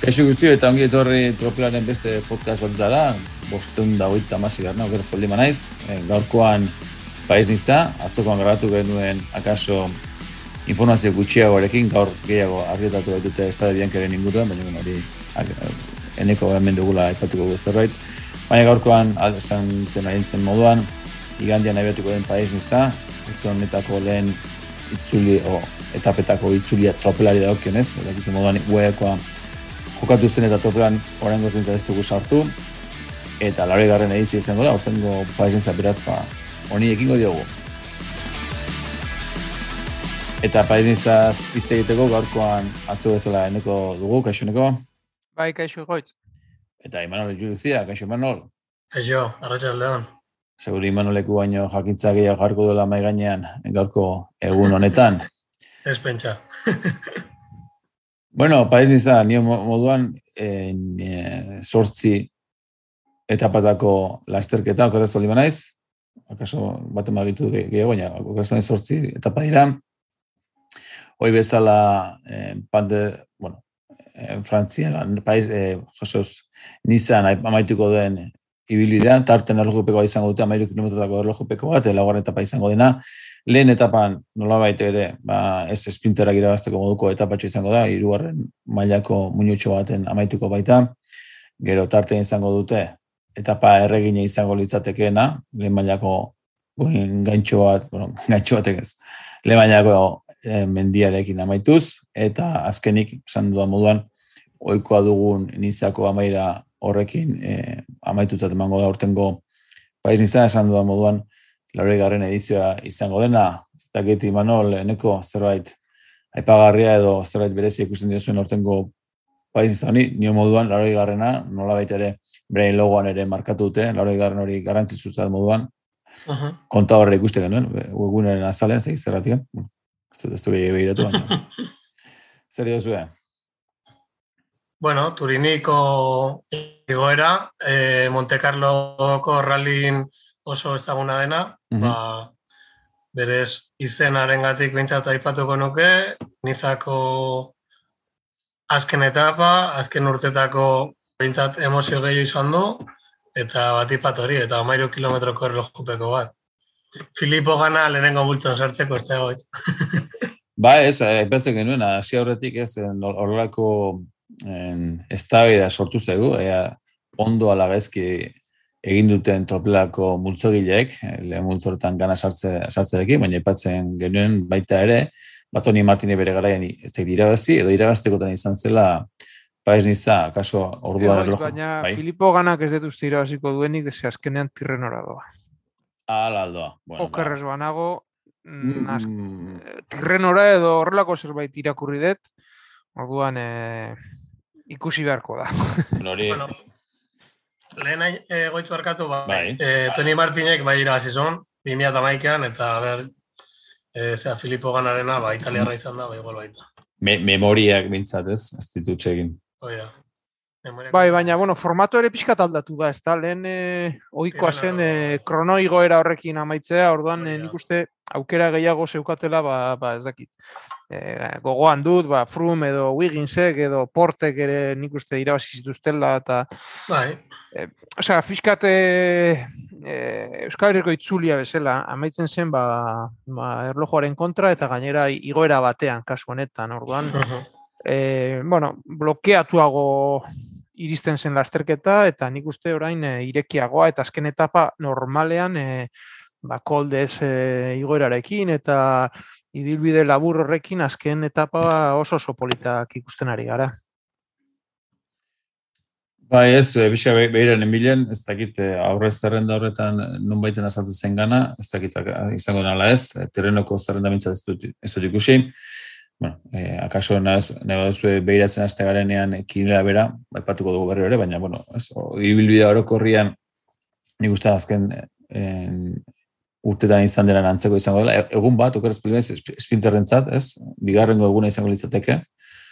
Kaixo guztio eta ongi etorri Tropelaren beste podcast batutara, 550 okeraz baldin naiz. Gaurkoan Pais Niza, atzokoan grabatu genuen akaso informazio gutxiagoarekin, gaur gehiago argitatu baitute Estade Biancaren inguruan, baina hori eneko hemen dugula aipatuko zerbait. Baina gaurkoan, esan ahintzen moduan, igandian abiatuko den Pais Niza, urte honetako lehen itzuli, etapetako itzulia tropelari dagokionez, dakizu moduan uekoa jokatu zen eta tropelan oraingoz behintzat ez dugu sartu, eta 80. edizio izango da, aurtengo Pais Niza beraz, honi ekingo diogu. Eta Pais Nizaz hitz egiteko gaurkoan atzo bezala eneko dugu, kaixo eneko? Bai, kaixo egoitz. Eta Imanol Juluzia, kaixo Imanol? Kaixo, arratsaldeon. Seguri Imanoleku baino jakintza gehiago jarko duela mahai gainean gaurko egun honetan. Ez pentsa. Bueno, Pais Niza, nio moduan 8 etapatako lasterketa, okerrez baldin naiz, akaso baten bagitu gehiago, baina okerrez baldin 8 etapa dira. Hoi bezala, Frantzian, Nizan amaituko den ibilbidean, tarten erlojupekoa izango dute, 13 kilometrotako erlojupeko bat, laugarren etapa izango dena. Lehen etapan, nolabait ere, ez sprinterak irabazteko moduko etapatxo izango da, 3. mailako muinutxo baten amaituko baita. Gero tarten izango dute, etapa erregine izango litzatekeena, lehen mailako gaintxo batek ez, lehen mailako mendiarekin amaituz, eta azkenik, esan dudan moduan, ohikoa dugun Nizako amaira horrekin amaitutzat emango da urtengo Pais Niza, esan dudan moduan, 80. edizioa izango dena. Ez dakit Imanol, eneko zerbait aipagarria edo zerbait berezia ikusten diozuen urtengo Pais Niza honi, nio moduan 80. nolabait ere berain logoan ere markatu dute, 80. hori garrantzitsutzat moduan. Kontadorra ikuste genuen, webgunaren azalean, ez dakit zerratik. Ez du gehiago behiratu, baina. Zer diozue? Bueno, Turiniko igoera, Monte Carloko rallyin oso ezaguna dena, berez izenarengatik behintzat aipatuko nuke, Nizako azken etapa, azken urtetako behintzat emozio gehiago izan du, eta batipat hori, eta 13 kilometroko erlojupeko bat. Filipo gana lehenengo bultzon sartzeko ez da egoitz. Ba ez, aipatzen genuen, hasi aurretik ez, horrelako eztabaida sortu zaigu, ondo ala gaizki egin duten tropelako multzogileek, lehen multzortan gana sartzerekin, baina aipatzen genuen baita ere, Toni Martini bere garaian ez da irabazi, edo irabaztekotan izan zela Pais Niza, kaso orduan erloju. Baina Filipo ganak ez dut uste irabaziko duenik, ez azkenean Tirrenora doa. Ala aldoa. Okerrez banago, Tirrenora edo horrelako zerbait irakurri dut, orduan ikusi beharko da. Bueno, lehen goitzu harkatu, Toni Martinek bai irabazizun, 2011an, eta Filipo ganarena, italiarra izan da, igual baita. Memoriak bintzat ez ditutxegin. Oida. Bai, baina, formato ere pixkat aldatu da, ez da, lehen ohikoa zen kronoigoera horrekin amaitzea, orduan nik uste aukera gehiago zeukatela, ez dakit. Gogoan dut, Froome edo Wigginsek edo Portek ere nik uste irabazi zituztela, eta... Bai. Osea, fiskat Euskal Herriko itzulia bezala, amaitzen zen, erlojuaren kontra, eta gainera igoera batean, kasu honetan, orduan... blokeatuago iristen zen lasterketa, eta nik uste orain irekiagoa, eta azken etapa normalean koldez igoerarekin, eta ibilbide labur horrekin azken etapa oso politak ikusten ari gara. Bai ez, bisa behiren emilen, ez dakit aurrez zerrenda horretan non baiten azaltzen zen gana, ez dakit izango nala ez, terrenoko zerrenda mintzat ez dut ikusi. Akaso nahi baduzue behiratzen azte garenean kinera bera, baipatuko dugu berri hori, baina, ibilbidea orokorrian nik uste azken urtetan izan dela antzeko izango dela. Egun bat, okeraz pilmez, sprinterrentzat, ez? Bigarrengo eguna izango litzateke.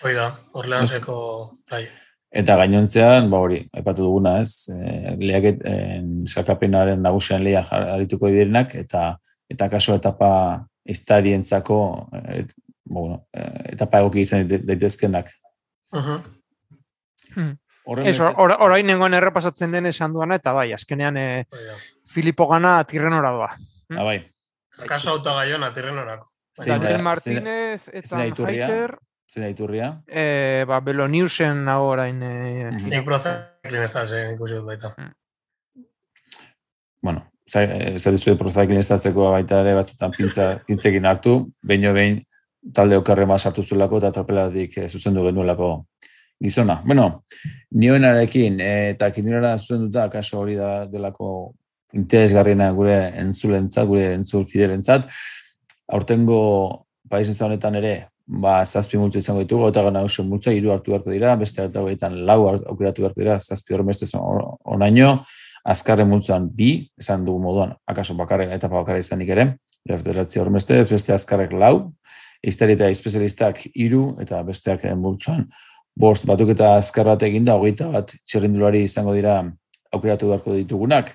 Hoi da, Orleanseko bai. Eta gainontzean, hori, aipatu duguna, ez? Lehiaket, salkapenaren nagusian lehia jarrituko direnak, eta kaso etapa estarientzako etapa egoki izan daitezkenak. Orain nengoen errepasatzen den esan duana, eta bai, azkenean Filipo Gana Tirrenora doa. Bai. Akaso autogaiona Tirrenorako. Daniel Martínez eta Haiter. Zena iturria? Beloniusen nago orain. Nik prozaklin ez da zen ikusi dut baita. Bueno, zer dizuet prozaklin ez datzeko baita ere batzutan pintzekin hartu, behin talde okerre sartu zulako eta tropelatik zuzendu genuelako gizona. Bueno, nioenarekin eta kinirara zuzenduta, kaso hori da delako interesgarriena gure entzulentzat, gure entzul fidelentzat, aurtengo paisenza honetan ere, 7 multzo izango ditugu, eta gana oso multzo, 3 hartu beharko dira, beste hartu beharko 4 aukeratu beharko dira, 7 hormestez onaino, azkarren multzoan 2, esan dugu moduan, akaso etapa bakarra izanik ere, beraz 9 hormestez, beste azkarrek 4, iztari eta espezialistak 3, eta besteak multzoan 5, batuk eta azkar bat eginda, 21 txerrindulari izango dira aukeratu beharko ditugunak,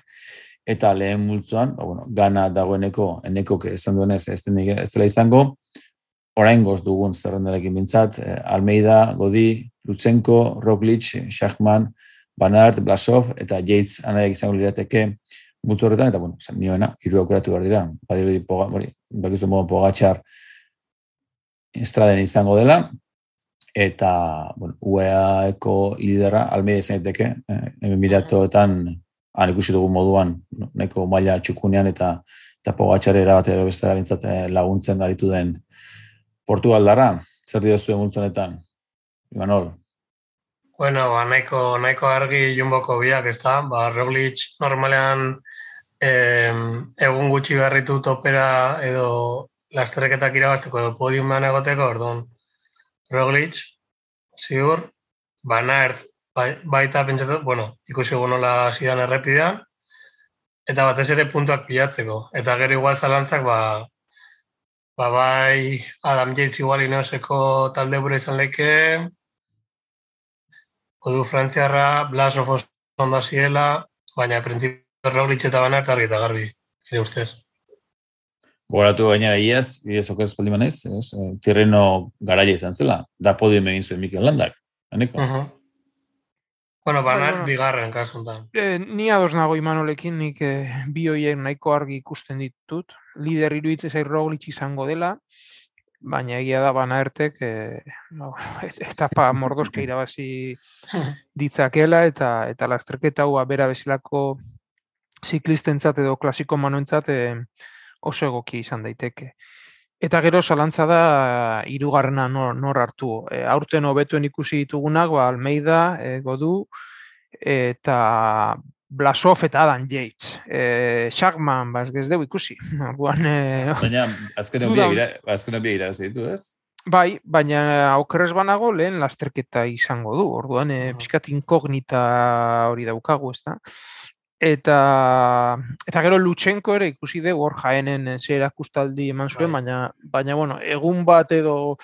eta lehen multzoan, gana dagoeneko, enekok esan duenez, ez dela izango, oraingoz dugun zerrendarekin bintzat, Almeida, Godi, Lutsenko, Roglic, Schachmann, Van Aert, Blasov, eta Yates anaiak izango lirateke multzo horretan, eta nioena, 3 aukeratu behar dira, badirudi bakizu modu Pogačar estraden izango dela, eta UEA-eko lidera Almeida izan daiteke, miratoetan ikusi dugu moduan, nahiko maila txukunean eta Pogačar erabatera bestera bintzat laguntzen aritu den Portugaldarra, zer dira zuen multzonetan? Imanol? Bueno, nahiko argi Jumboko biak, ez da? Roglic normalean egun gutxi berritu topera edo lasterreketak irabazteko edo podiumean egoteko, orduan Roglic, ziur, Van Aert baita pentsatu, ikusi nola zidan errepidean, eta batez ere puntuak pilatzeko. Eta gero igual zalantzak, bai Adam Yates igual Ineoseko talde bura izan leke, Odu Frantziarra, Blasov ondo ziela, baina printzipio Roglic eta Van Aert argi eta garbi, ere ustez. Gogoratu gainera iaz oker espaldi manez, Tirreno garaia izan zela, da podium egin zuen Mikel Landak, aneko? Van Aert bigarren kasuntan. Ni ados nago Imanolekin, nik bi horiek nahiko argi ikusten ditut. Lider iruditzen zait Roglic izango dela, baina egia da Van Aertek etapa mordoska irabazi ditzakela eta lasterketa hau bera bezalako ziklistentzat edo klasiko manoentzat oso egoki izan daiteke. Eta gero zalantza da 3. nor hartu. Aurten hobetuen ikusi ditugunak, Almeida, Godu, eta Blasov eta Adam Yates. Schachmann, ez dugu ikusi. Baina, azken obia irabazi ditu, ez? Bai, baina aukerrez banago lehen lasterketa izango du. Orduan, pixkat inkognita hori daukagu, ez da? Eta gero Lutsenko ere ikusi dugu hor Jaenen zer erakustaldi eman zuen, baina egun bat edo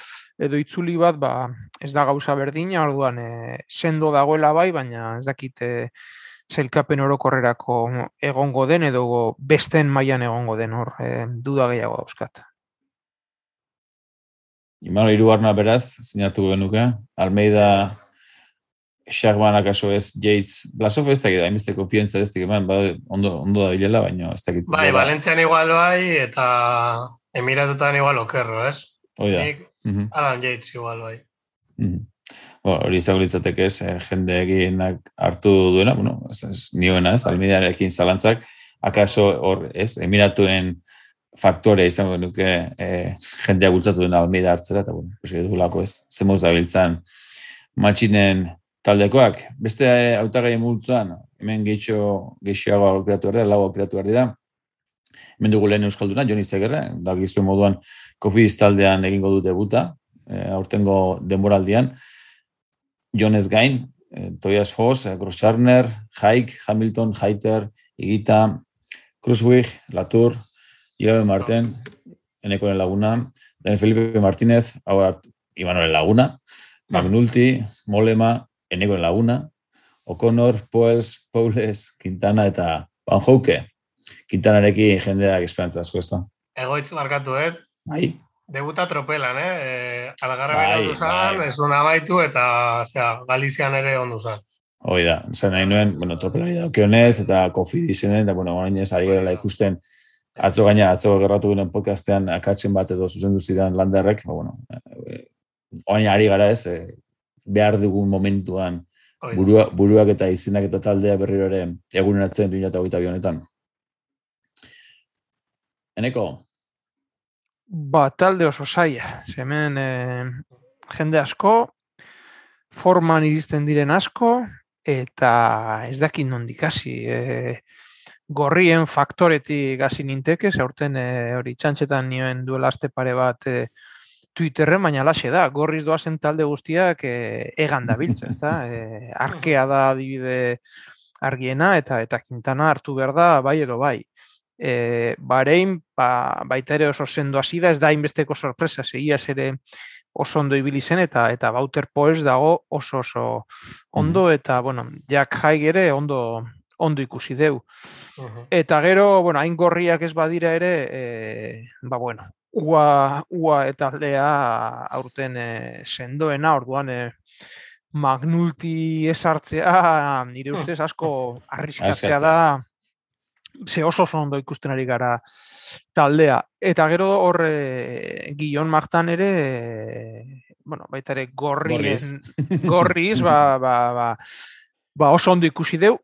itzuli bat ez da gauza berdina, orduan sendo dagoela bai, baina ez dakit sailkapen orokorrerako egongo den edo besten mailan egongo den hor, duda gehiago dauzkat. Imano 3. beraz, sinatu genuke, Almeida, Schachmann akaso ez, Yates, Blasov ez dakit, hainbeste konfientza ez dakit, ondo da bilela, baina ez dakit. Bai, Valentzian igual bai, eta Emiratutan igual okerro, ez? Oida. Adam Yates igual bai. Hori izango litzateke ez, jende eginak hartu duena, nioena ez, Almeidarekin zalantzak, akaso hor ez, Emiratuen faktore izango nuke jendea bultzatu duena Almeida hartzera, eta edulako ez, zemoz da biltzan matxinen taldekoak. Beste hautagai multzoan, hemen gehiago aukeratu behar dira, 4 aukeratu behar dira. Hemen dugu lehen euskalduna, Joni Zegerra, da gizuen moduan Cofidis taldean egingo du debuta, aurtengo denboraldian. Jones gain, Tobias Foss, Grosschartner, Haik, Hamilton, Haiter, Higuita, Kruiswijk, Latour, Ibabe Marten, Enekoren Laguna, Daniel Felipe Martínez, Imanol Laguna, Magnulti, Mollema, Enekoren Laguna, O'Connor, Paules, Quintana eta Van Houke. Quintanarekin jendeak esperantza asko ez da. Egoitz markatu, Bai. Debuta tropelan, Algarraben ondu zan, bai. ez duen amaitu, eta Galizian ere ondu zan. Hoi da, zen nahi nuen, tropelari daukionez, eta kofidizenen, eta, orainez ari gerela ikusten, atzo gerratu ginen podcastean akatzen bat edo zuzendu zidan Landerrek, orain ari gara ez, behar dugun momentuan, buruak eta izenak eta taldea berriro ere eguneratzen 2022 honetan. Eneko? Talde oso zaila. Hemen jende asko, forman iristen diren asko, eta ez dakit nondik hasi. Gorrien faktoretik hasi ninteke, aurten hori txantxetan nioen duela aste pare bat Twitterren, baina laxe da, gorriz doazen talde guztiak egan dabiltza, ezta? Arkea da adibide argiena, eta Quintana hartu behar da, bai edo bai. Bahrein, baita ere oso sendo hasi da, ez da inbesteko sorpresa, segiaz ere oso ondo ibili zen, eta Wouter Poels dago oso ondo, eta, Jack Haig ere ondo ikusi deu. Eta gero, hain gorriak ez badira ere, ua eta aldea aurten sendoena, orduan McNulty esartzea, nire ustez asko arriskatzea da, ze oso ondo ikusten ari gara taldea. Eta gero hor Guillaume Martin ere, baita ere gorriz, oso ondo ikusi deu.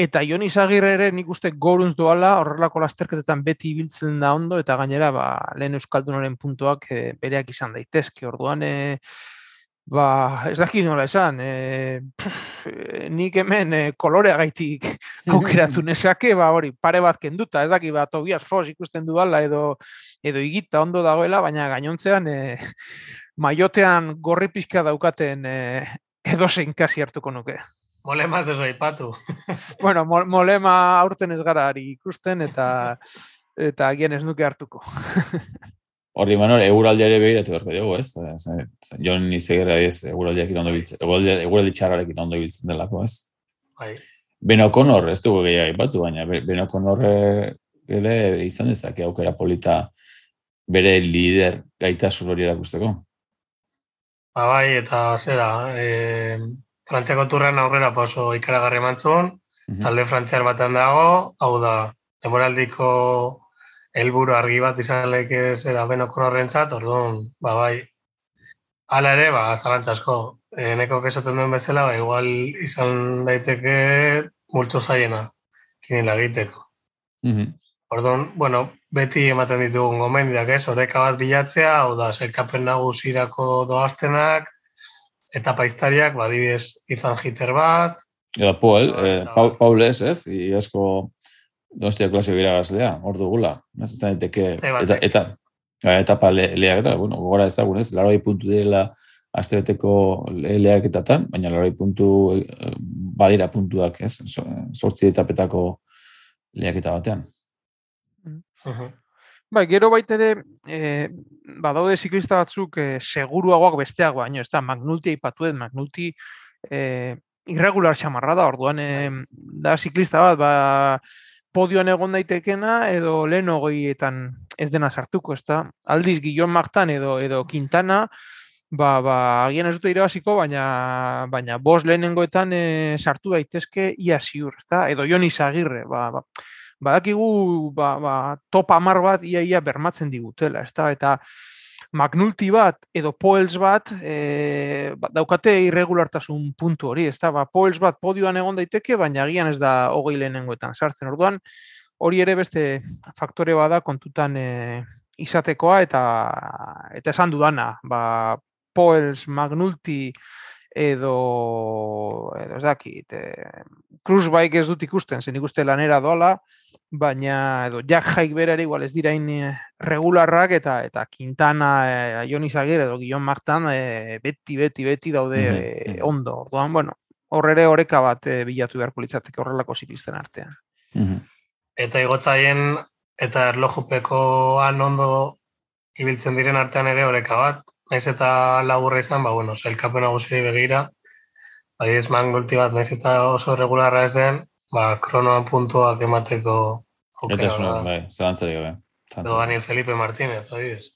Eta Jon Izagirre ere nik uste goruntz doala, horrelako lasterketetan beti ibiltzen da ondo, eta gainera lehen Euskaldunoren puntuak bereak izan daitezke. Orduan, ez dakit nola esan, nik hemen koloreagaitik aukeratu nezake, hori pare bat kenduta, ez dakit, Tobias Foss ikusten duala edo igita ondo dagoela, baina gainontzean maiotean gorri pixka daukaten edozein kasi hartuko nuke. Molema ez oso aipatu. Molema aurten ez gara ari ikusten, eta agian ez nuke hartuko. Horri, Manol, eguraldia ere behiratu berko dugu, ez? Jon Izagirre ez, eguraldiak ondo biltzen, eguraldi txarrarekin ondo biltzen delako, ez? Bai. Ben O'Connor, ez dugu gehiago aipatu, baina Ben O'Connor ere izan dezake aukera polita bere lider gaitasun hori erakusteko. Bai, eta zera, Frantziako turren aurrera oso ikaragarri emantzun, talde frantziar batean dago, hau da, demoraldiko helburu argi bat izan leke zera Ben O'Connorrentzat, orduan, bai. Hala ere, zalantza asko. Neko esaten duen bezala, igual izan daiteke multzo zaiena, kinila egiteko. Orduan, beti ematen ditugun gomendiak ez, oreka bat bilatzea, hau da, sailkapen nagusirako doaztenak, eta paiztariak, adibidez, izan Hiter bat. Eta Paul ez, iasko Donostia klase biragazlea, hor dugula. Ez da daiteke, eta lehiak eta, gogora ezagun ez, 80 puntu direla astebeteko lehiaketatan, baina 80 puntu badira puntuak, ez, 8 etapetako lehiaketa batean. Gero baita ere, badaude ziklista batzuk seguruagoak besteak baino, ez da, McNulty aipatuet, McNulty irregular xamarra da, orduan da ziklista bat, podioan egon daitekena, edo lehen hogeietan ez dena sartuko, ez da. Aldiz, Guillaume Martin edo Quintana, agian ez dute irabaziko, baina bost lehenengoetan sartu daitezke ia ziur, ez da. Edo Jon Izagirre, badakigu top 10 bat ia bermatzen digutela, ez da, eta McNulty bat edo Poels bat daukate irregulartasun puntu hori, ez da, Poels bat podioan egon daiteke, baina agian ez da 20 lehenengoetan sartzen, orduan hori ere beste faktore bada kontutan izatekoa, eta esan dudana, Poels, McNulty edo ez dakit, Kruiswijk ez dut ikusten, zen ikuste lanera doala, baina edo Jack Haig berare igual ez dirain regularrak, eta Quintana, Jon Izagirre edo Guillaume Martin beti daude ondo. Orduan, hor ere oreka bat bilatu beharko litzateke horrelako ziklisten artean. Eta igotzaien eta erlojupekoan ondo ibiltzen diren artean ere oreka bat. Naiz eta laburra izan, sailkapen nagusiri begira, adibidez McNulty bat, naiz eta oso regularra ez den, kronoan puntuak emateko aukera da. Eta zelantzarik gabe. Edo Daniel Felipe Martínez, adibidez.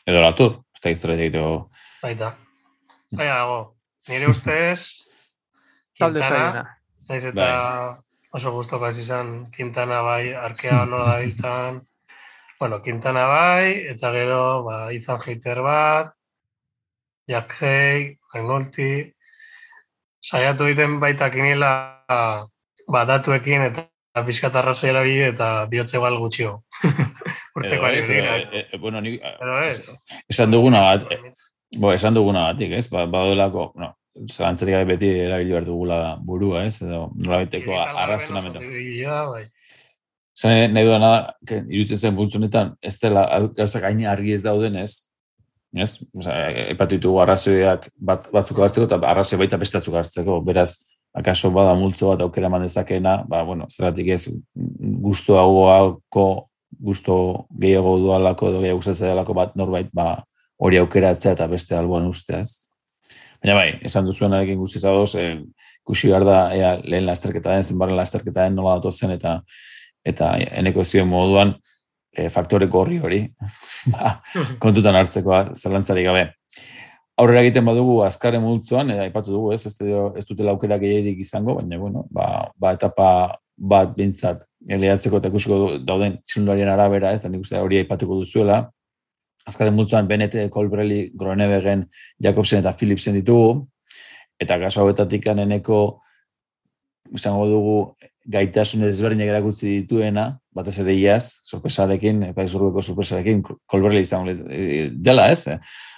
Edo Latur, ez da historia egiteko. Baita. Zaila dago. Nire ustez, Talde Quintana, zailena. zaiz eta oso guztokaz izan, Quintana bai, arkea nola da izan. Bueno, Quintana bai, eta gero, Ethan Hater bat, Jack Hay, Magnolti, saiatu egiten baita kinila datuekin eta pixkat arrazoi erabili eta bihotze bal gutxio. Urteko ari hori. Bueno, Edo ez. esan duguna batik, ez? Badoelako, zalantzarik gabe beti erabili behar dugula burua, ez? Edo nolabaiteko arrazonamenta. Bai. Zan nahi duena, irutzen zen bultzunetan, ez dela gauzak hain argi ez dauden, ez? Epatu ditugu arrazoiak batzuk hartzeko eta arrazoi baita bestatzuk hartzeko. Beraz, akaso bada multzo bat aukera eman dezakeena, zeratik ez gusto gehiago dualako edo gehiago gustatzea delako bat norbait hori aukeratzea eta beste alboan ustea, ez? Baina bai, esan duzuenarekin guztiz adoz, ikusi behar da lehen lasterketa den, zenbaren lasterketa den nola datozen eta eneko zioen moduan faktore gorri hori kontutan hartzeko zalantzarik gabe. Aurrera egiten badugu azkarren multzoan, aipatu dugu, ez dutela aukera gehierik izango, baina etapa bat bintzat lehatzeko eta ikusiko dauden txilundarien arabera, ez da nik uste hori aipatuko duzuela. Azkarren multzoan Bennett, Colbrelli, Groenewegen, Jacobsen eta Philipsen ditugu, eta kaso hauetatik eneko izango dugu gaitasun ezberdinak erakutsi dituena, batez ere iaz, sorpresarekin, País-Urugueko sorpresarekin, Colbrelli izango dela, ez?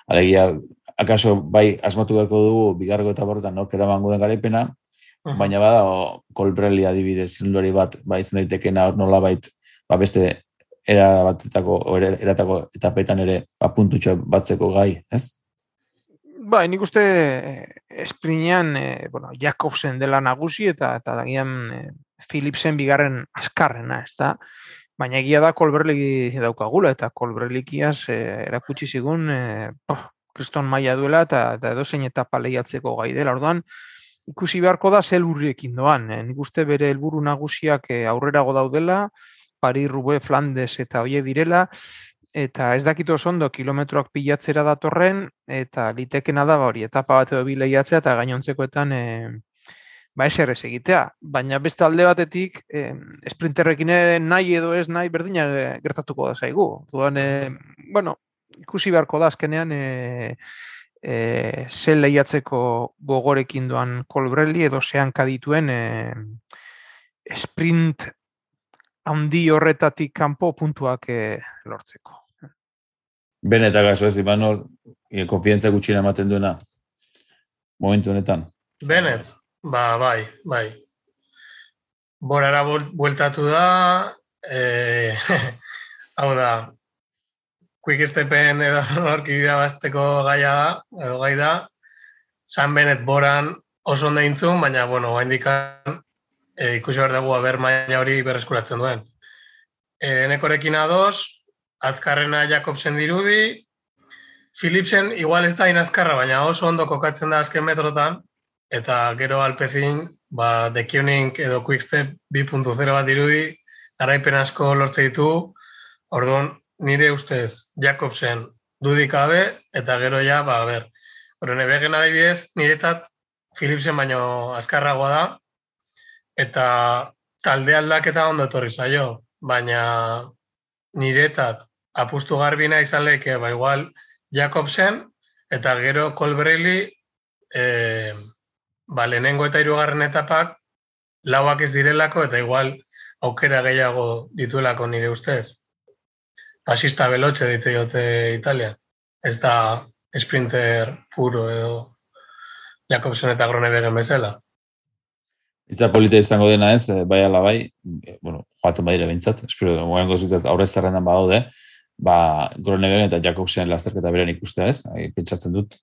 Alegia, akaso bai asmatu beharko dugu bigarreko eta borretan nork eramango den garaipena, baina bada Colbrelli adibidez txilundari bat izan daitekena nolabait beste eratako etapetan ere puntutxo batzeko gai, ez? Bai, nik uste esprinean Jacobsen dela nagusi eta dagian Philipsen bigarren azkarrena, ez da? Baina egia da Colbrelli daukagula eta Colbrellikiaz erakutsi zigun kriston maila duela eta edozein etapa lehiatzeko gai dela. Orduan, ikusi beharko da ze helburriekin doan. Nik uste bere helburu nagusiak aurrerago daudela, Paris-Roubaix, Flandes eta hoiek direla, eta ez dakit oso ondo kilometroak pilatzera datorren, eta litekena da hori etapa bat edo bi lehiatzea eta gainontzekoetan eser ez egitea. Baina beste alde batetik, sprinterrekin nahi edo ez nahi berdina gertatuko da zaigu. Orduan, ikusi beharko da azkenean ze lehiatzeko gogorekin doan Colbrelli edo ze hanka dituen sprint handi horretatik kanpo puntuak lortzeko. Bennett akaso ez, Imanol, konfiantza gutxina ematen duena momentu honetan. Bennett, bai. Borara bueltatu da, hau da, Quick Stepen edo norki irabazteko gai da, Sam Bennett boran oso ondo intzun, baina, oraindikan ikusi behar dugu maila hori berreskuratzen duen. Enekorekin ados, azkarrena Jacobsen dirudi, Philipsen igual ez da inazkarra, baina oso ondo kokatzen da azken metrotan, eta gero Alpecin, The Koenig edo Quickstep 2.0 bat dirudi, garaipen asko lortze ditu, orduan nire ustez Jacobsen dudik gabe, eta gero ja, Groenewegen adibidez, niretat Philipsen baino azkarragoa da, eta talde aldaketa ondo etorri zaio, baina niretat apustu garbina izan leke, igual Jacobsen, eta gero Colbrelli, lehenengo eta hirugarren etapak lauak ez direlako, eta igual aukera gehiago dituelako nire ustez. Pasista belotxe ditze jote Italia. Ez da sprinter puro edo Jacobsen eta Groenewegen bezala. Itza polita izango dena ez, bai ala bai, joaten badire behintzat, espero, moengo zutaz aurrez zerrenan badaude, Groenewegen eta Jacobsen lasterketa beran ikustea ez, pentsatzen dut,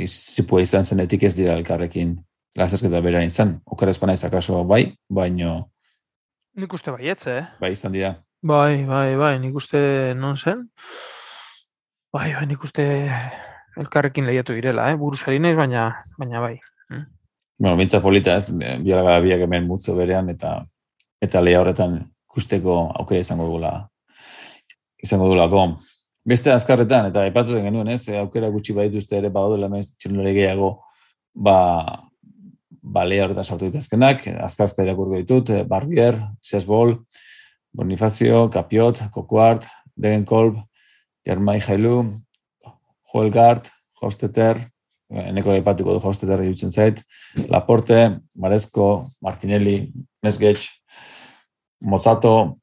zipua izan zenetik ez dira elkarrekin lasterketa beran izan, okeraz pana izakaso bai, baino... Nik uste baietze, Bai izan dira. Bai, nik uste non zen, nik uste elkarrekin lehiatu direla, buruzari naiz, baina bai. Mintza polita ez, biak hemen mutzo berean eta lehia horretan ikusteko aukera izango dugulako. Beste azkarretan, eta aipatzen genuen, aukera gutxi badituzte ere badaudela txirrindulari gehiago, balea horretan sartu ditazkenak, azkarzta irakurgo ditut, Barbier, Chesbol, Bonifacio, Capiot, Coquart, Degenkolb, Germai Jailu, Joelgard, Hofstetter, eneko aipatuko du Hofstetter irutzen zait, Laporte, Maresco, Martinelli, Mesgetx, Mozzato,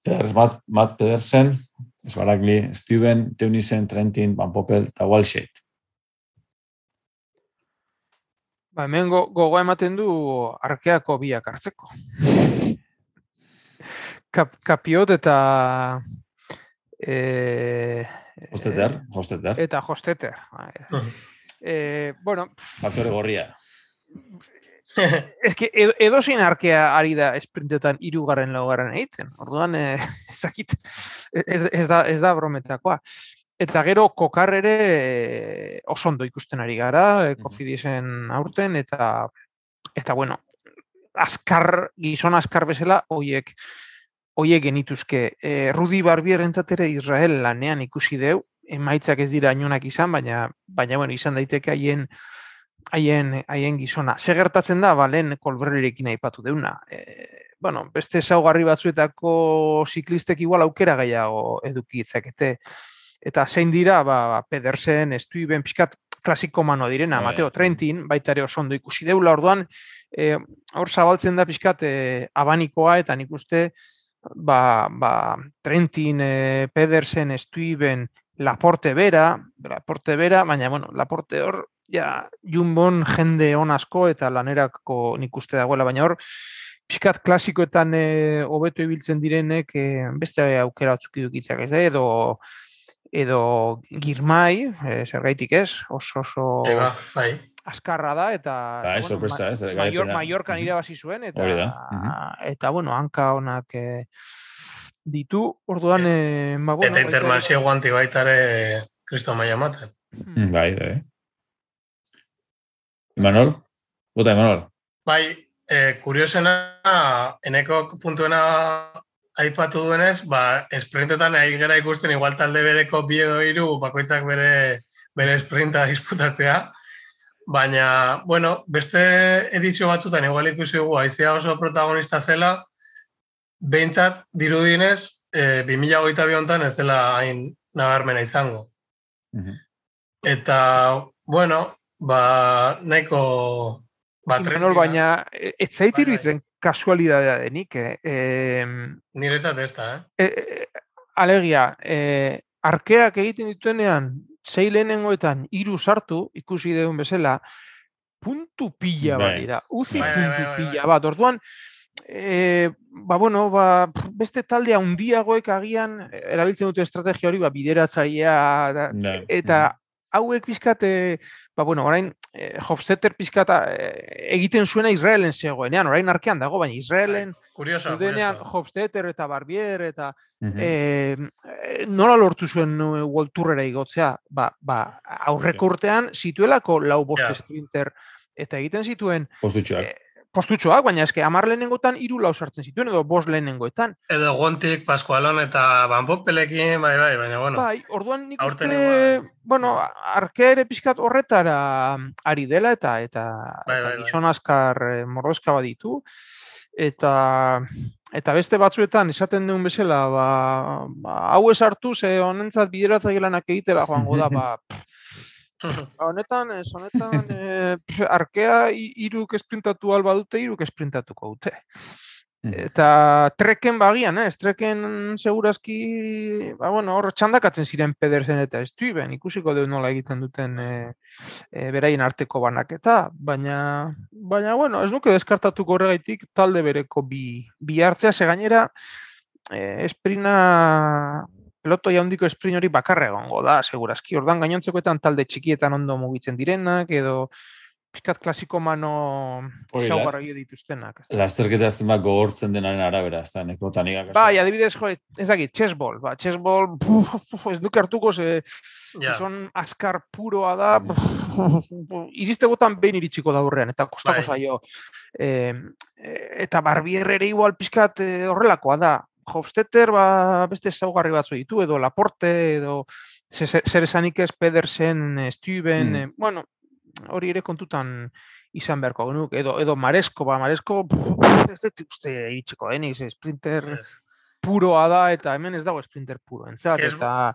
Matt Pedersen, Sbaragli, Steven, Teunissen, Trentin, Van Poppel eta Walsheit. Hemen gogoa ematen du arkeako biak hartzeko. Capiot eta Hofstetter. Eta Hofstetter. Bueno, faktore gorria. Ez que edozein arkea ari da esprintetan 3. 4. egiten. Orduan, ez da brometakoa. Eta gero kokar ere oso ondo ikusten ari gara, Cofidisen aurten, eta bueno, gizon azkar bezala, hoiek genituzke. Rudi Barbierentzat ere Israel lanean ikusi deu, emaitzak ez dira inunak izan, baina bueno, izan daiteke haien gizona. Ze gertatzen da, lehen Kolberrirekin aipatu deuna. Bueno, beste ezaugarri batzuetako ziklistek igual aukera gehiago eduki itzakete. Eta zein dira, Pedersen, Stuyven, pixkat klasiko manoa direna, Mateo Trentin, baita ere oso ondo ikusi deula, orduan, hor zabaltzen da pixkat abanikoa, eta nik uste, Trentin, Pedersen, Stuyven, Laporte bera, baina, bueno, Laporte hor, Jumbon jende on asko eta lanerako nik uste dagoela, baina hor, pixkat klasikoetan hobeto ibiltzen direnek beste aukera batzuk idukitzak ez, edo Girmai, zergaitik ez, oso azkarra da, eta Mallorcan irabazi zuen, eta bueno, hanka honak ditu, orduan... Eta Intermarché guanti baitare Kristo maia maten. Bai. Imanol? Bota, Imanol? Bai, kuriosena, eneko puntuena aipatu duenez, esprintetan ari gara ikusten igual talde bereko 2 edo 3 bakoitzak bere esprinta disputatzea, baina, bueno, beste edizio batzutan igual ikusi dugu, Haizea oso protagonista zela, behintzat dirudienez, 2022 honetan ez dela hain nabarmena izango. Eta, bueno, nahiko... Imanol, baina, ez zait iruditzen kasualidadea denik. Niretzat ez da, Alegia, arkeak egiten dituenean, 6 lehenengoetan 3 sartu, ikusi deun bezala, puntu pila bat dira. Uzi puntu pila bat. Orduan, beste taldea handiagoek agian erabiltzen dute estrategia hori, bideratzailea, eta hauek pizkat, orain Hofstetter pizkat egiten zuena Israelen zegoenean, orain arkean dago, baina Israelen dudenean Hofstetter eta Barbier eta nola lortu zuen World Tourera igotzea, aurreko urtean zituelako 4-5 sprinter eta egiten zituen postutxoak, baina eske 10 lehenengoetan 3 sartzen zituen, edo 5 lehenengoetan. Edo Gontik, Pascualon eta Van Poppelekin, baina, bueno. Orduan nik uste, arkea ere pixkat horretara ari dela, eta gizon azkar mordoska baditu, eta beste batzuetan esaten duen bezala, hau ez hartu, ze honentzat bideratzailanak egitela joango da, honetan, arkea 3 esprintatu alba dute, 3 esprintatuko dute. Eta treken bagian, treken segurazki, hor txandakatzen ziren Pedersen eta Stuyven, ikusiko deu nola egiten duten beraien arteko banaketa, baina, ez nuke deskartatuko horregaitik talde bereko bi hartzea, ze gainera, esprina... Pelotoi handiko esprin hori bakarra egongo da, segurazki. Ordan gainontzekoetan talde txikietan ondo mugitzen direnak, edo pizkat klasiko mano ezaugarri dituztenak. Lasterketa zenbat gogortzen denaren arabera, ez da, neko tanikak. Adibidez, ez dakit, chessball. Chessball, ez duke hartuko, son azkar puroa da, iristegotan behin iritsiko da horrean, eta kostako zaio. Eta Barbier ere igual pizkat horrelakoa da. Hofstetter beste ezaugarri batzu ditu, edo Laporte, edo zer esanik ez Pedersen, Stuyven, bueno, hori ere kontutan izan beharko genuk, edo Maresko, Maresko, ez dut uste iritsiko denik, sprinter puroa da, eta hemen ez dago sprinter puro, entzat, eta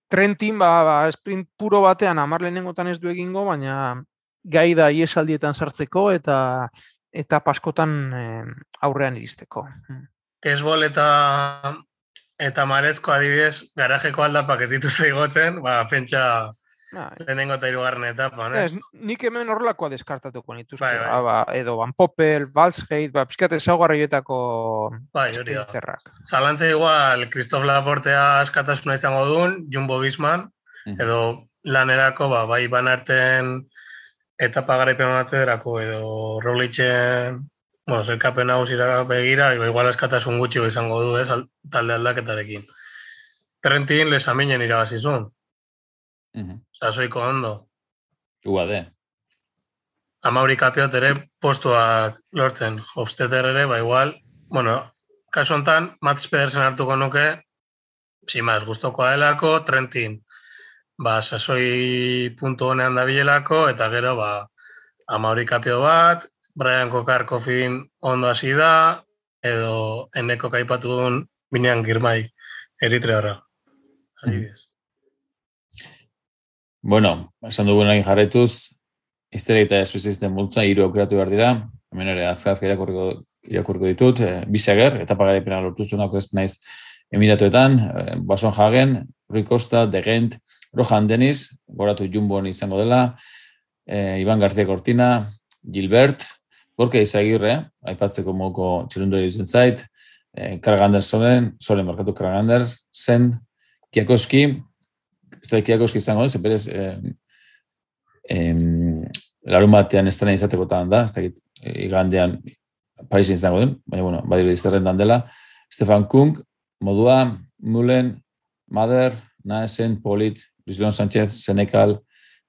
Trentin, sprint puro batean 10 lehenengotan ez du egingo, baina gai da iesaldietan sartzeko, eta paskotan aurrean iristeko. Kesbol eta Maresko adibidez, garajeko aldapak ez dituzte igotzen, pentsa lehenengo eta hirugarren etapan, ez? Nik hemen horrelakoa deskartatuko nituzke, edo Van Poppel, Valsgeit, pixkat ezaugarrietako sprinterrak. Zalantza igual, Christophe Laportea askatasuna izango duen, Jumbo Visman, edo lanerako, bai Van Aerten etapa garaipen baterako, edo Roglicen, zerkapen nagusira begira, igual askatasun gutxi izango du, ez, talde aldaketarekin. Trentin lesaminen irabazizun. Sasoiko ondo. Uade. Amauri Kapiot ere postuak lortzen. Hofstetter ere, igual, kasu honetan, Mats Pedersen hartuko nuke, simaz, gustokoa delako, Trentin, sasoi puntu honean dabilelako, eta gero, Amauri Kapiot bat, Brian Kokarkofin ondo hasi da, edo eneko kaipatu duen Binean Girmay, Eritrearra. Adibidez. Bueno, esan dugun egin jarretuz, izterik eta espezialisten multza 3 aukeratu behar dira, hemen ere azkazka irakurko ditut, Biseger, etapa garaipena lortu zuenako ez naiz Emiratuetan, Boasson Hagen, Rui Costa, De Gent, Rohan Dennis, goratu Jumbon izango dela, Iban García Cortina, Gilbert, Gorka Izagirre, aipatzeko moduko txirundori ditzen zait, Krag Andersen, Krag Andersen, Kiakoski, ez da Kiakoski izango, ez berez larun batean estrena izatekotan da, ez da igandean Parisen izango den, baina, badiru dizerrendan dela, Stefan Kung, Modua, Mullen, Mader, Naesen, Polit, Luis Leon Sánchez, Senekal,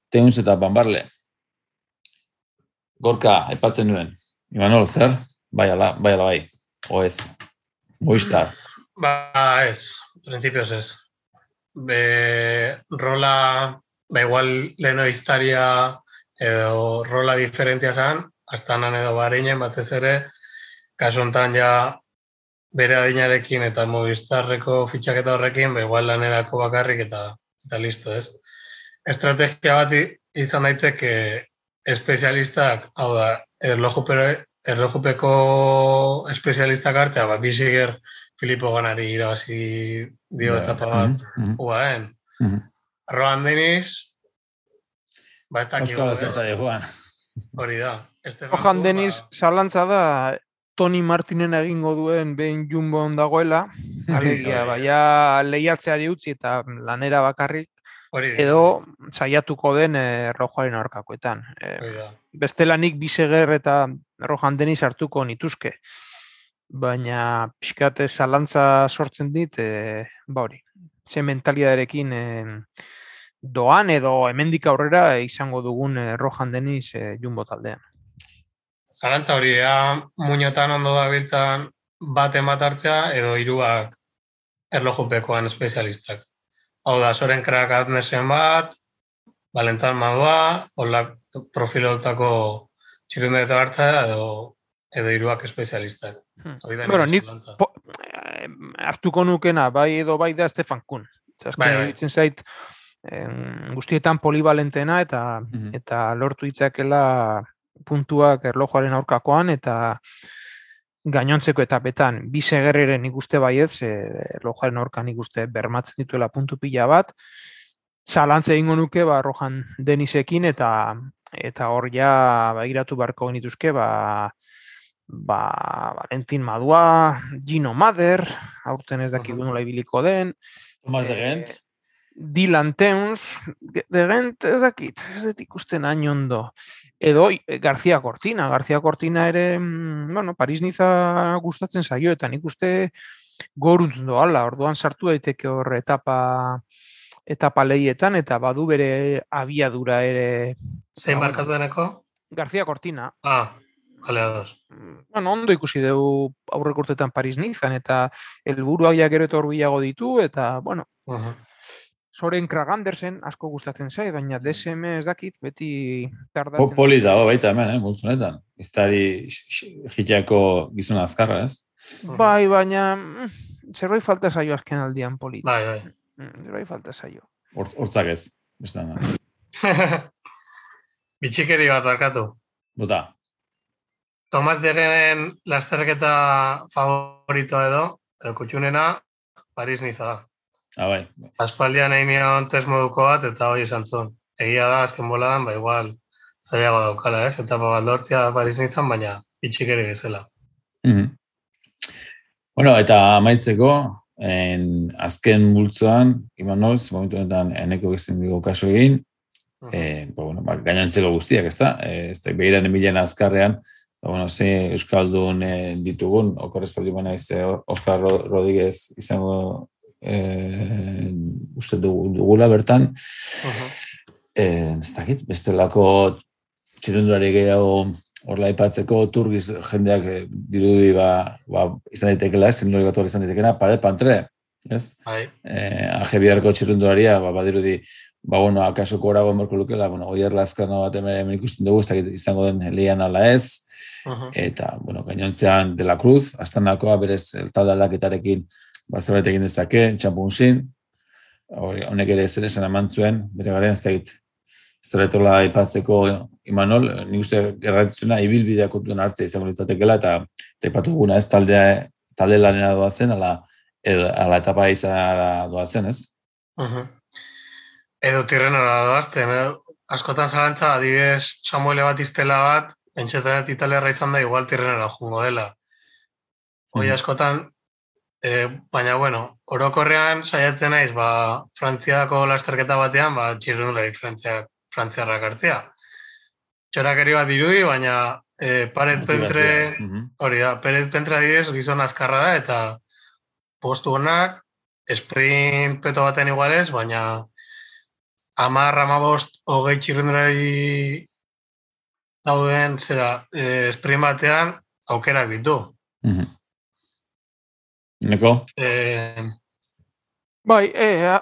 Teuns eta Bambarle. Gorka, aipatzen nuen. Imanol, zer? Bai, o ez? Movistar. Ez, prinsipioz ez. Rola, igual leheno historia edo rola diferentia zan, Astanan edo Bahreinen batez ere, kasu honetan ja bere adinarekin eta Movistarreko fitxaketa horrekin, igual lanerako bakarrik eta listo, ez? Estrategia bat izan daiteke espezialistak, hau da, erlojupeko espezialistak hartzea, Biseger Filippo Ganari irabazi dio etapa bat UAEn. Rohan Dennis, ez dakik hori da. Rohan Dennis zalantza da Toni Martinen egingo duen behin Jumbon dagoela, alegia, lehiatzeari utzi eta lanera bakarrik, edo saiatuko den Rojoaren aurkakoetan. Bestelanik Biseger eta Rohan Dennis hartuko nituzke. Baina pixkate zalantza sortzen dit, hori, ze mentalidaderekin doan edo hemendik aurrera izango dugun Rohan Dennis Jumbo taldean. Zalantza hori, muñotan ondo dabiltzan bat hartzea edo 3 erlojupekoan espezialistak. Hau da, Soren Krag Andersen bat, Valentin Madua, profilotako txirundeta hartzea edo 3 espezialistak. Bueno, nik hartuko nukena, bai edo bai da Stefan Kuhn. Zaten zait, guztietan polivalentena eta lortu ditzakela puntuak erlojuaren aurkakoan eta gainontzeko etapetan. Bisegerreren ikuste baietz, erlojuaren aurkan ikuste bermatzen dituela puntu pila bat. Zalantza egingo nuke Rohan Dennisekin eta hor ja begiratu beharko genituzke Valentin Madua, Gino Mader, aurten ez dakik nola ibiliko den. Tomas De Gent. Dylan Teuns, De Gent ez dakit, ez dut ikusten hain ondo. Edo García Cortina ere, Paris-Niza gustatzen zaio, eta nik uste goruntz doala, orduan sartu daiteke hor etapa lehietan, eta badu bere abiadura ere. Zein markatu deneko? García Cortina. Bale, ados. Ondo ikusi dugu aurrek urtetan Paris-Nizan, eta helburuak ja gero eta hurbilago ditu, eta, Soren Kragandersen asko gustatzen zait, baina DSM ez dakit, beti tardatzen. Poli dago baita hemen, multzonetan. Iztari jiteako gizuna azkarra, ez? Bai, baina zerbait falta zaio azken aldian Poli. Bai. Zerbait falta zaio. Hortzak ez, bestan. Bitxikeri bat barkatu. Bota. Tomas Degen lasterketa favorito edo kutxunena, Paris-Niza da. Bai. Aspaldian egin nion test moduko bat, eta hori esan zuen. Egia da, azken boladan, igual zailago daukala, ez? Etapa bat lortzea Paris-Nizan, baina bitxikeri bezala. Bueno, eta amaitzeko, azken multzoan, Imanoz, momentu honetan eneko gezin dugu kaso egin, gainontzeko guztiak, ez da? Ez da, behiran emilean azkarrean, ze Euskaldun ditugun, okorrezpaldi baina Oskar Rodríguez izango uste dugula bertan. Ez dakit, bestelako txirundulari gehiago horla aipatzeko turgiz jendeak dirudi izan daitekela, txirundulari bat izan daitekena, Paret Pantre, ez? AG-Biarko txirundularia, badirudi, akaso korago merko lukela, Oier Lazkano bat hemen ikusten dugu, ez dakit izango den lehian ala ez, eta, gainontzean De La Cruz, Astanakoa berez talde aldaketarekin zerbait egin dezake, txampunzin, honek ere zer esan amantzuen, bere garen ez dakit, zerretola aipatzeko Imanol, nik uste erraitzuna ibilbidea kontuen hartzea izango litzatekela, eta aipatu guna ez talde lanera doazen, ala etapa izanara doazen, ez? Edo tirrenara doazten, askotan zalantza, adibidez Samuele Batistela bat, entxetan italiarra izan da, igual tirrenara jungo dela. Hoi askotan, baina, orokorrean saiatzen naiz, Frantziako lasterketa batean, txirrindulari frantziarrak hartzea. Txorakeri bat dirudi, baina Paret Pentre, hori da, Paret Pentre adibidez gizon azkarra da, eta postu honak, sprint peto baten igualez, baina 10-15 20 txirrindulari dauden sprint batean aukerak ditu. Neko? Bai,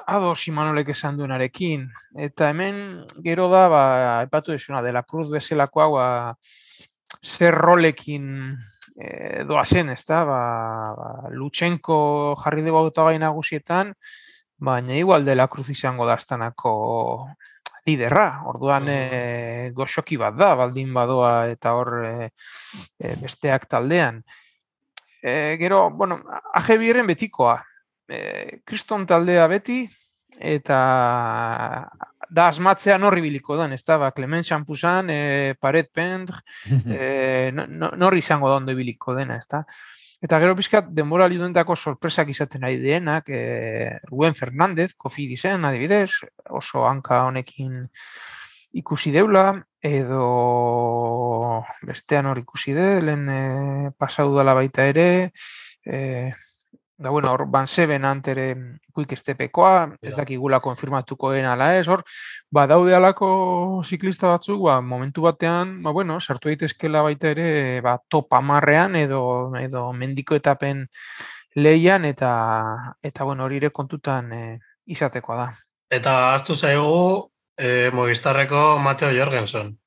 ados Imanolek esan duenarekin. Eta hemen gero da, aipatu desuna, De La Cruz bezalakoa, zer rolekin doazen, ez da? Lutsenko jarri dugu hautagai nagusietan, baina igual De La Cruz izango da Astanako liderra. Orduan goxoki bat da, baldin badoa eta hor besteak taldean. Gero, AG-Biarren betikoa. Kriston taldea beti, eta da asmatzean horri biliko den, ez da, Clement Champuzan, Paret Pentre, norri izango da ondo biliko dena, ez da. Eta gero pizkat, denbora liduentako sorpresak izaten ari dienak, Rubén Fernández, Cofidisen, adibidez, oso hanka honekin ikusi deula, edo bestean hor ikusi de, lehen pasau dala baita ere, da, hor Van Seben antere Quick Stepekoa, ez dakigula konfirmatuko den ala ez, hor, daude alako ziklista batzuk, momentu batean, sartu daitezkela baita ere, top 10ean edo mendiko etapen lehian, eta hori ere kontutan izatekoa da. Eta ahaztu zaigu Movistarreko Mateo Jorgensen.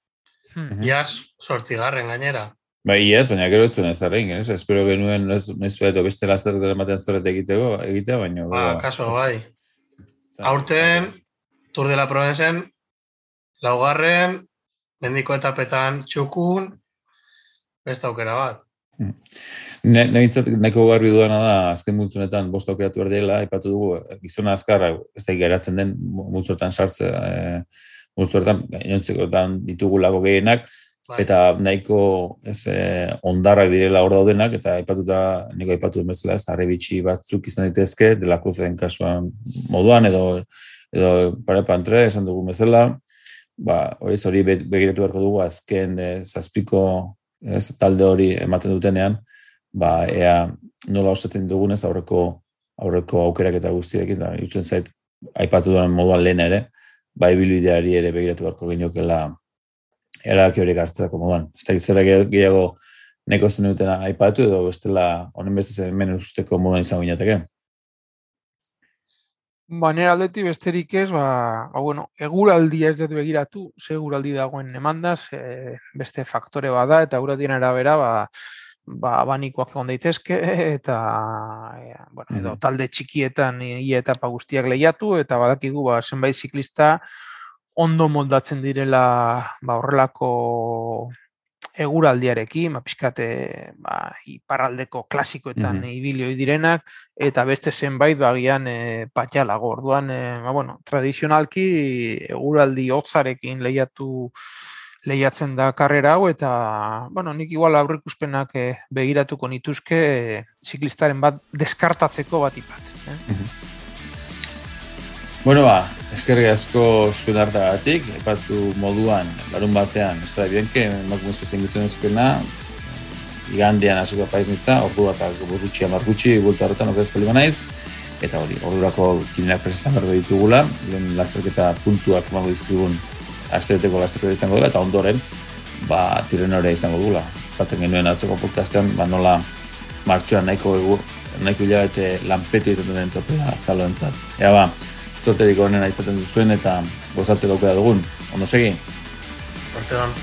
Iaz 8. gainera. Ez, baina gero ez zuen ez arrein, espero genuen edo beste lasterretan ematen zorret egitea, baina... Kaso, bai. Aurten, Tour de la Provencen, 4. mendiko etapetan txukun, beste aukera bat. Nahiko garbi duena da, azken multzunetan 5 aukeratu behar dela, aipatu dugu, gizona azkarra, ez da geratzen den multzuetan sartzea, multzuetan, gainontzekoetan ditugulako gehienak, eta nahiko ondarrak direla hor daudenak, eta nahiko aipatu bezala ez, harrebitxi batzuk izan daitezke, De La Cruzen kasuan moduan, edo Paret Pantre esan dugu bezala, hori begiratu beharko dugu azken zazpiko talde hori ematen dutenean, ea nola osatzen dugunez aurreko aukerak eta guztiekin, da, irutzen zait, aipatu duen moduan lehen ere, ibilbideari ere begiratu beharko geniokela erabaki horiek hartzeko moduan. Ez da gizera gehiago neko zen dutena aipatu edo bestela honen bestez hemen usteko moduan izango ginateke? Nire aldetik besterik ez, bueno, eguraldia ez dut begiratu, ze eguraldi dagoen emandaz, beste faktore bada, eta eguraldien arabera, abanikoak egon daitezke, eta bueno, edo talde txikietan ia etapa guztiak lehiatu, eta badakigu zenbait ziklista ondo moldatzen direla horrelako eguraldiarekin, pixkate iparraldeko klasikoetan ibilioi direnak, eta beste zenbait bagian patxalago. Orduan, bueno, tradizionalki eguraldi hotzarekin lehiatzen da karrera hau, eta, bueno, nik igual aurreikuspenak begiratuko nituzke ziklistaren bat deskartatzeko batipat. Bueno, eskerrik asko zuen hartagatik, epatu moduan, larun batean, Estrada Bianche, emakumezko zen gizonezkoena, igandean hasiko paiz niza, ordu bat bosutxi amargutxi, bulta horretan okerazko lima naiz, eta hori, ordurako kinenak presestan berdo ditugula, lehen lasterketa puntuak emango dizugun astebeteko lasterketa izango dela, eta ondoren, tirenorea izango dugula. Batzen genuen atzoko podcastean, nola martxoan nahiko hilabete lanpetu izaten den topela zaloentzat. Ea zorterik onena izaten duzuen eta gozatzeko aukera dugun. Ondo segi? Hortean.